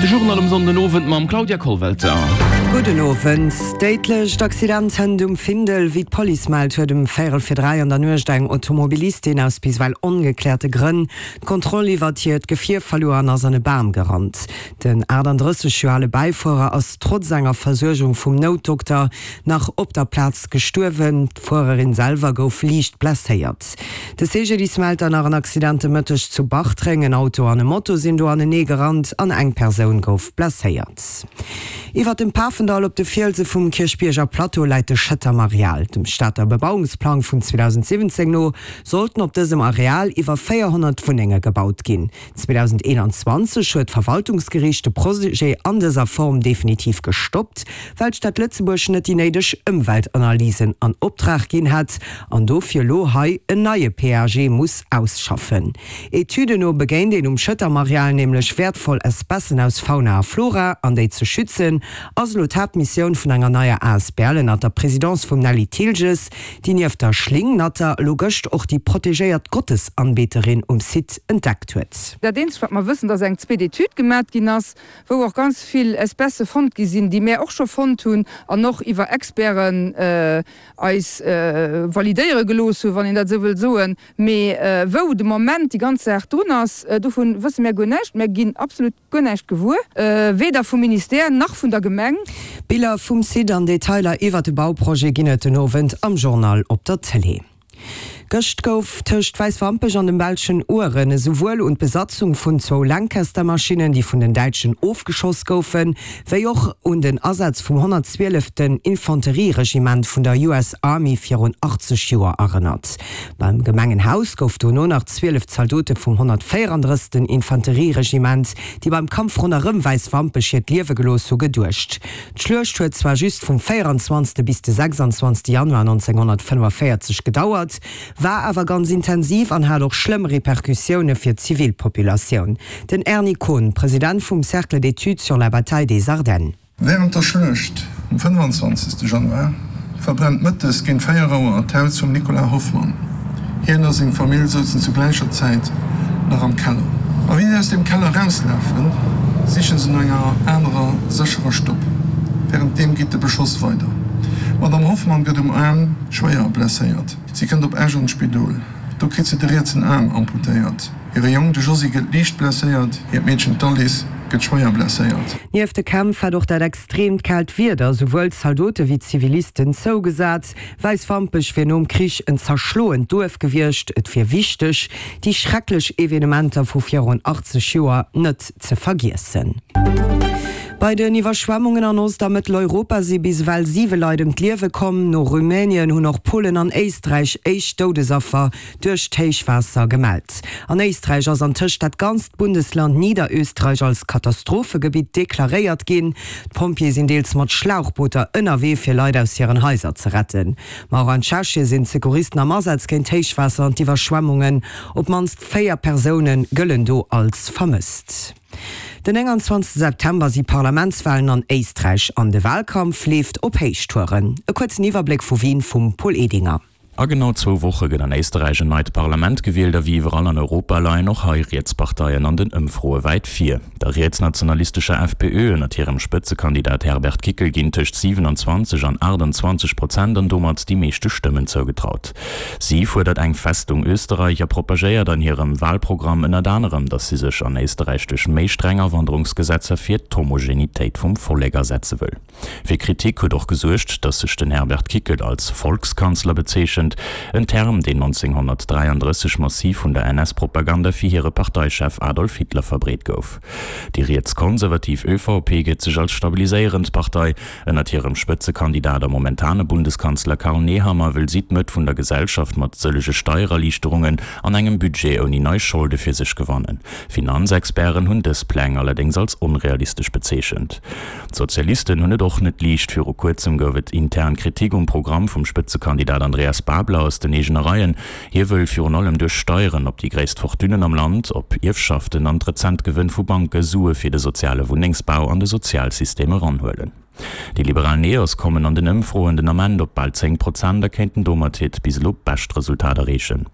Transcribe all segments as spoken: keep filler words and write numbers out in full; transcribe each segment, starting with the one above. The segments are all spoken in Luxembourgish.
De Journal um Sonndenowend mam Claudia Kollwelter. Gudden Owend. Déidlecht Accident hënt um Findel. Wéi d'Police mellt, huet um véierel vir dräi an der Nuecht eng Automobilistin aus bis ewell ongekläerte Grënn d'Kontroll iwwert hiert Gefier verluer an ass an e Bam gerannt. Den achtandrësseg Joer ale Bäifuerer ass trotz enger Versuergung vum Noutdokter nach op der Plaz gestuerwen. D'Fuererin selwer gouf liicht blesséiert. De C G D I S mellt dann nach en Accident de Mëtteg zu Bartreng. En Auto an e Moto sinn do anenee gerannt an eng Persoun gouf blesséiert. Iwwer dem Pafendall op de Fielse vum Kierchbierger Plateau läit de Schëtterm Areal. Dem Stater Bebauungsplang vun zweedausendsiwwenzéng no sollten op dësem Areal iwwer véierhonnert Wunnenge gebaut ginn. zweedausendeenanzwanzeg huet d'Verwaltungsgeriicht de Projet an dëser Form definitiv gestoppt, well d'Stad Lëtzebuerg net déi néideg Ëmweltanalysen an Optrag ginn hätt an dofir elo hei en neie P A G muss ausschaffen. Etüden no begéint een um Schëtterm Areal nämlech wäertvoll Espècen aus Fauna a Flora, an déi ze schützen ass elo d'Haaptmissioun vun enger neier A S B L ënnert der Presidence vum Nelly Thilges, déi nieft der Schlingnatter elo gëscht och déi protegéiert Gottesanbeterin um Site entdeckt huet. Dat eenzegt, wat mer wëssen, dass eng zweet Etüd gemat ginn ass, wou och ganz vill Espècë fonnt gi sinn, déi mär och scho fonnt hunn an och iwwer Experten eis validéiere gelooss hunn, wann een dat esou wëll soen. Mee wou de Moment déi ganz Saach drun ass, dovun wësse mär guer näischt. Mär ginn absolut guer näischt gewuer, weder vum Ministère nach vun der Gemeng. Biller vum Site an Detailer iwwer de Bauprojet ginn et den Owend am Journal op der Tëlee. Gëscht gouf tëscht Wäiswampech an dem belschen Ouren esouwuel un d'Besatzung vun zwou Lancaster-Maschinnen, déi vun den Däitschen ofgeschoss goufen, wéi och un den Asaz vum honnertzwieleften Infanterieregiment vun der U S Army virun achtzeg Joer erënnert. Beim Gemengenhaus gouf dono nach zwielef Zaldote vum honnertvéierandrëssegsten Infanterieregiment, déi beim Kampf ronderëm Wäiswampech hiert Liewe gelooss hu, geduecht. D'Schluecht huet zwar just vum véieranzwanzegste bis de sechsanzwanzegste Januar nonzénghonnertfënnefavierzeg gedauert, war awer ganz intensiv an hat och schlëmm Repercussioune fir d'Zivilpopulatioun. Den Erny Kohn, President vum Cercle d'études sur la bataille des Ardennes. Wärend der Schluecht um fënnefanzwanzegste Januar verbrennt mëttes géint véier Auer d'Haus vum Nicolas Hoffmann. Hien a seng Famill souzen zu gläicher Zäit nach am Keller. A wéi si aus deem Keller erauslafen, siche se no enger anerer sécherer Stopp. Wärenddeem geet de Beschoss weider. D'Madame Hoffmann gëtt um Aarm schwéier blesséiert. Si kënnt op Esch an d'Spidol. Do kritt se de rietsen Aarm amputéiert. Hire Jong, de Josy, gëtt liicht blesséiert, hiert Meedchen, d'Alice, gëtt schwéier blesséiert. Nieft de Kämpf hat och dat extreemt kaalt Wieder souwuel Zaldote wéi Zivilisten zougesat. Wäiswampech wier nom Krich en zerschloent Duerf gewiescht. Et wier wichteg, déi schrecklech Evenementer vu virun achtzeg Joer net ze vergiessen. Bei den Iwwerschwemmungen an Ost a Mëtteleuropa si bis ewell siwe Leit ëm d'Liewe komm. No Rumänien hunn och Polen an Éisträich éischt Doudesaffer duerch d'Héichwaasser gemellt. An Éisträich ass antëscht dat ganzt Bundesland Niederösterreich als Katastrophegebitt deklaréiert ginn. D'Pompjeeë sinn deels mat Schlauchbooter ënnerwee fir Leit aus hiren Haiser ze retten. Ma och an Tschechie sinn d'Secouristen am Asaz géint d'Héichwaasser an d'Iwwerschwemmungen. Op d'mannst véier Persoune gëllen do als vermësst. Den nénganzwanzegste September si Parlamentswalen an Éisträich an de Walkampf leeft op Héichtouren. E kuerzen Iwwerbléck vu Wien vum Paul Edinger. A genau zwou Woche gëtt an Éisterräich en neit Parlament gewielt a wéi iwwerall an Europa leien och hei Rietsparteien an den Ëmfroe wäit vir. Der rietsnationalistescher F P Ö ënnert hirem Spëtzekandidat Herbert Kickl ginn tëscht siewenundzwanzeg an aachtundzwanzeg Prozent an domat déi meeschte Stëmmen zougetraut. Si fuerdert eng Festung Österreich a propagéiert an hirem Walprogramm ënnert anerem, datt si sech an Éisterräich duerch méi streng Awanderungsgesetzer fir d'Homogenitéit vum Vollek asetze wëll. Fir Kritik huet och gesuergt, datt sech den Herbert Kickl als Volkskanzler bezeechent, en Term, deen nonzénghonnertdräiandrësseg massiv vun der N S-Propaganda fir hire Parteichef Adolf Hitler verbreet gouf. Déi rietskonservativ Ö V P gëtt sech als stabiliséierend Partei. Ënnert hirem Spëtzekandidat a momentane Bundeskanzler Karl Nehammer wëll si d'Mëtt vun der Gesellschaft mat sëllege Steiererliichterungen an engem Budget ouni nei Scholde fir sech gewannen. Finanzexperten hunn dës Pläng allerdéngs als onrealistesch bezeechent. D'Sozialisten hunn et och net liicht. Viru kuerzem gouf et intern Kritik um Programm vum Spëtzekandidat Andreas Babler aus den eegene Reien. Hie wëll virun allem duerch Steieren op déi gréisst Fortunen am Land, op Ierfschaften an d'rezent Gewënn vu Banke Sue fir de soziale Wunnengsbau an de Sozialsystem eranhuelen. Déi liberal Neos kommen an den Ëmfroen den Ament op bal zéng Prozent a kéinten domat hiert bis elo bescht Resultat erreechen.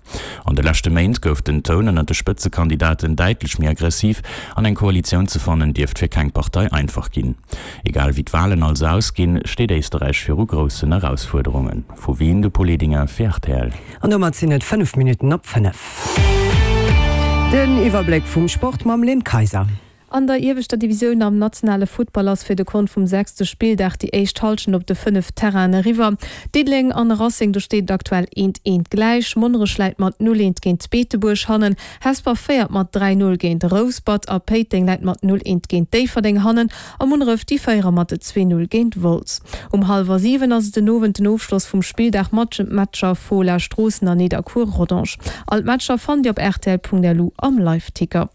An de leschte Méint gouf den Toun ënnert de Spëtzekandidaten däitlech méi aggressiv an eng Koalitioun ze fannen dierft fir keng Partei einfach ginn. Egal wéi d'Walen also ausginn, steet Éisterräich viru groussen Erausfuerderungen. Vu Wien de Paul Edinger fir rtl. An domat sinn et fënnef Minutten op fënnef. Den Iwwerbléck vum Sport mam Lynn Kayser. An der ieweschter Divisioun am nationale Futtball ass fir de Kont vum sechste Spilldag déi éischt Hallschent op de fënnef Terrainen eriwwer. Diddeleng an Racing, do steet et aktuell eent eent gläich. Monnerech läit mat null eent géint Beetebuerg hannen, Hesper féiert mat dräi null géint Rouspert a Péiteng läit mat null eent géint Déifferdeng hannen a Munneref déi féiere mat zwee null géint Wolz. Um hallwer siwen ass et den Owend den Ofschloss vum Spilldag mat de Matcher Fola Stroossen an Nidderkuer Rodange. All d'Matcher fannt Dir op rtl.lu am Liveticker.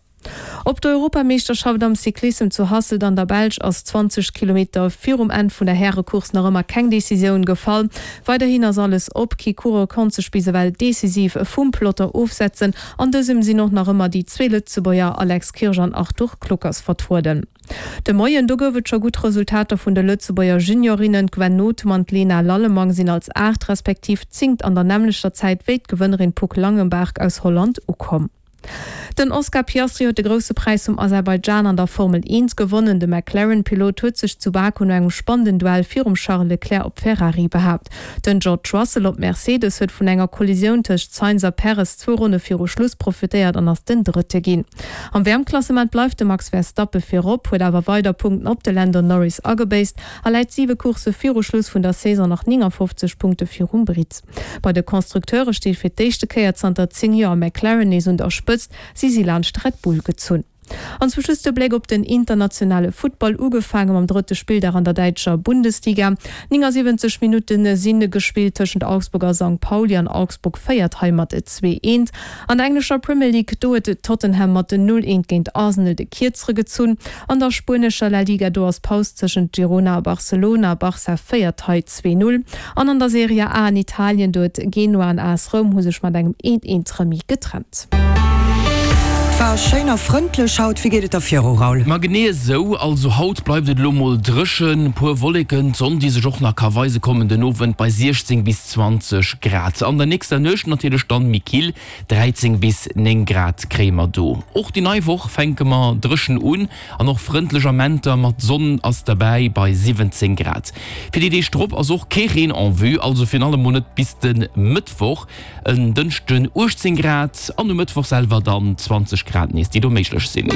Op der Europameeschterschaft am Cyclissem zu Hasselt an der Belsch ass zwanzeg Kilometer virum Enn vun der Härecourse nach ëmmer keng Decisioun gefall. Weiderhin ass alles op, kee Coureur konnt sech bis ewell decisiv vum Peloton ofsetzen. An dësem sinn och nach ëmmer déi zwee Lëtzebuerger Alex Kirsch an Arthur Kluckers vertrueden. De Moien, do gouf et scho gutt Resultater vun de Lëtzebuerger Juniorinnen. D'Gwen Nothum an d'Lena Lallemang sinn als aacht respektiv zéngt an der nämmlechter Zäit wéi d'Gewënnerin Puck Langenberg aus Holland ukomm. Den Oscar Piastri huet de Grousse Präis vum Aserbaidschan an der Formel eent gewonnen. De McLaren-Pilot huet sech zu Baku no engem spannenden Duell virum Charles Leclerc op Ferrari behaapt. Den George Russell op Mercedes huet vun enger Kollisioun tëscht Sainz a Perez zwou Ronne viru Schluss profitéiert an ass den Drëtte ginn. Am W M-Klassement bleift de Max Verstappe virop, huet awer weider Punkten op de Lando Norris agebéisst a läit siwe Coursse viru Schluss vun der Saison nach néngafofzeg Punkte virum Britt. Bei de Konstrukteure steet fir d'éischte Kéier zanter zéng Joer McLaren nees un der Spëtzt, si si laanscht Red Bull gezunn. An zum Schluss de Bléck op den internationale Futtball, ugefaange mam drëtte Spilldag an der däitscher Bundesliga. néngasiwwenzeg Minutte si gespillt tëschent Augsburg a Sankt Pauli an Augsburg féiert hei mat zwee eent. An der englescher Premier League, do huet Tottenham mat null eent géint Arsenal de Kierzere gezunn. An der spuenescher La Liga, do ass Paus tëschent Girona a Barcelona, Barça féiert hei zwee null. An an der Serie A an Italien, do huet Genoa an A S Roum hu sech mat engem eent eent Remis getrennt. Et war schéin a frëndlech haut. Wéi geet et da viru, Raoul? Ma genee esou, also haut bleift et elo mol dréchen, puer Wolleken, d'Sonn déi sech och nach ka weise kommen den Owend bei siechzéng bis zwanzeg Grad. An der nächster Nuecht natierlech dann méi kill, dräizéng bis néng Grad kréie mer do. Och déi nei Woch fänke mer dréchen un an och frëndlech Amenter mat Sonn ass derbäi bei siwwenzéng Grad. Fir déi Deeg drop ass och kee Reen en vue, also virun allem mol net bis de Mëttwoch. En Dënschden uechtzéng Grad an um Mëttwoch selwer dann zwanzeg Grad nees, déi do méiglech sinn.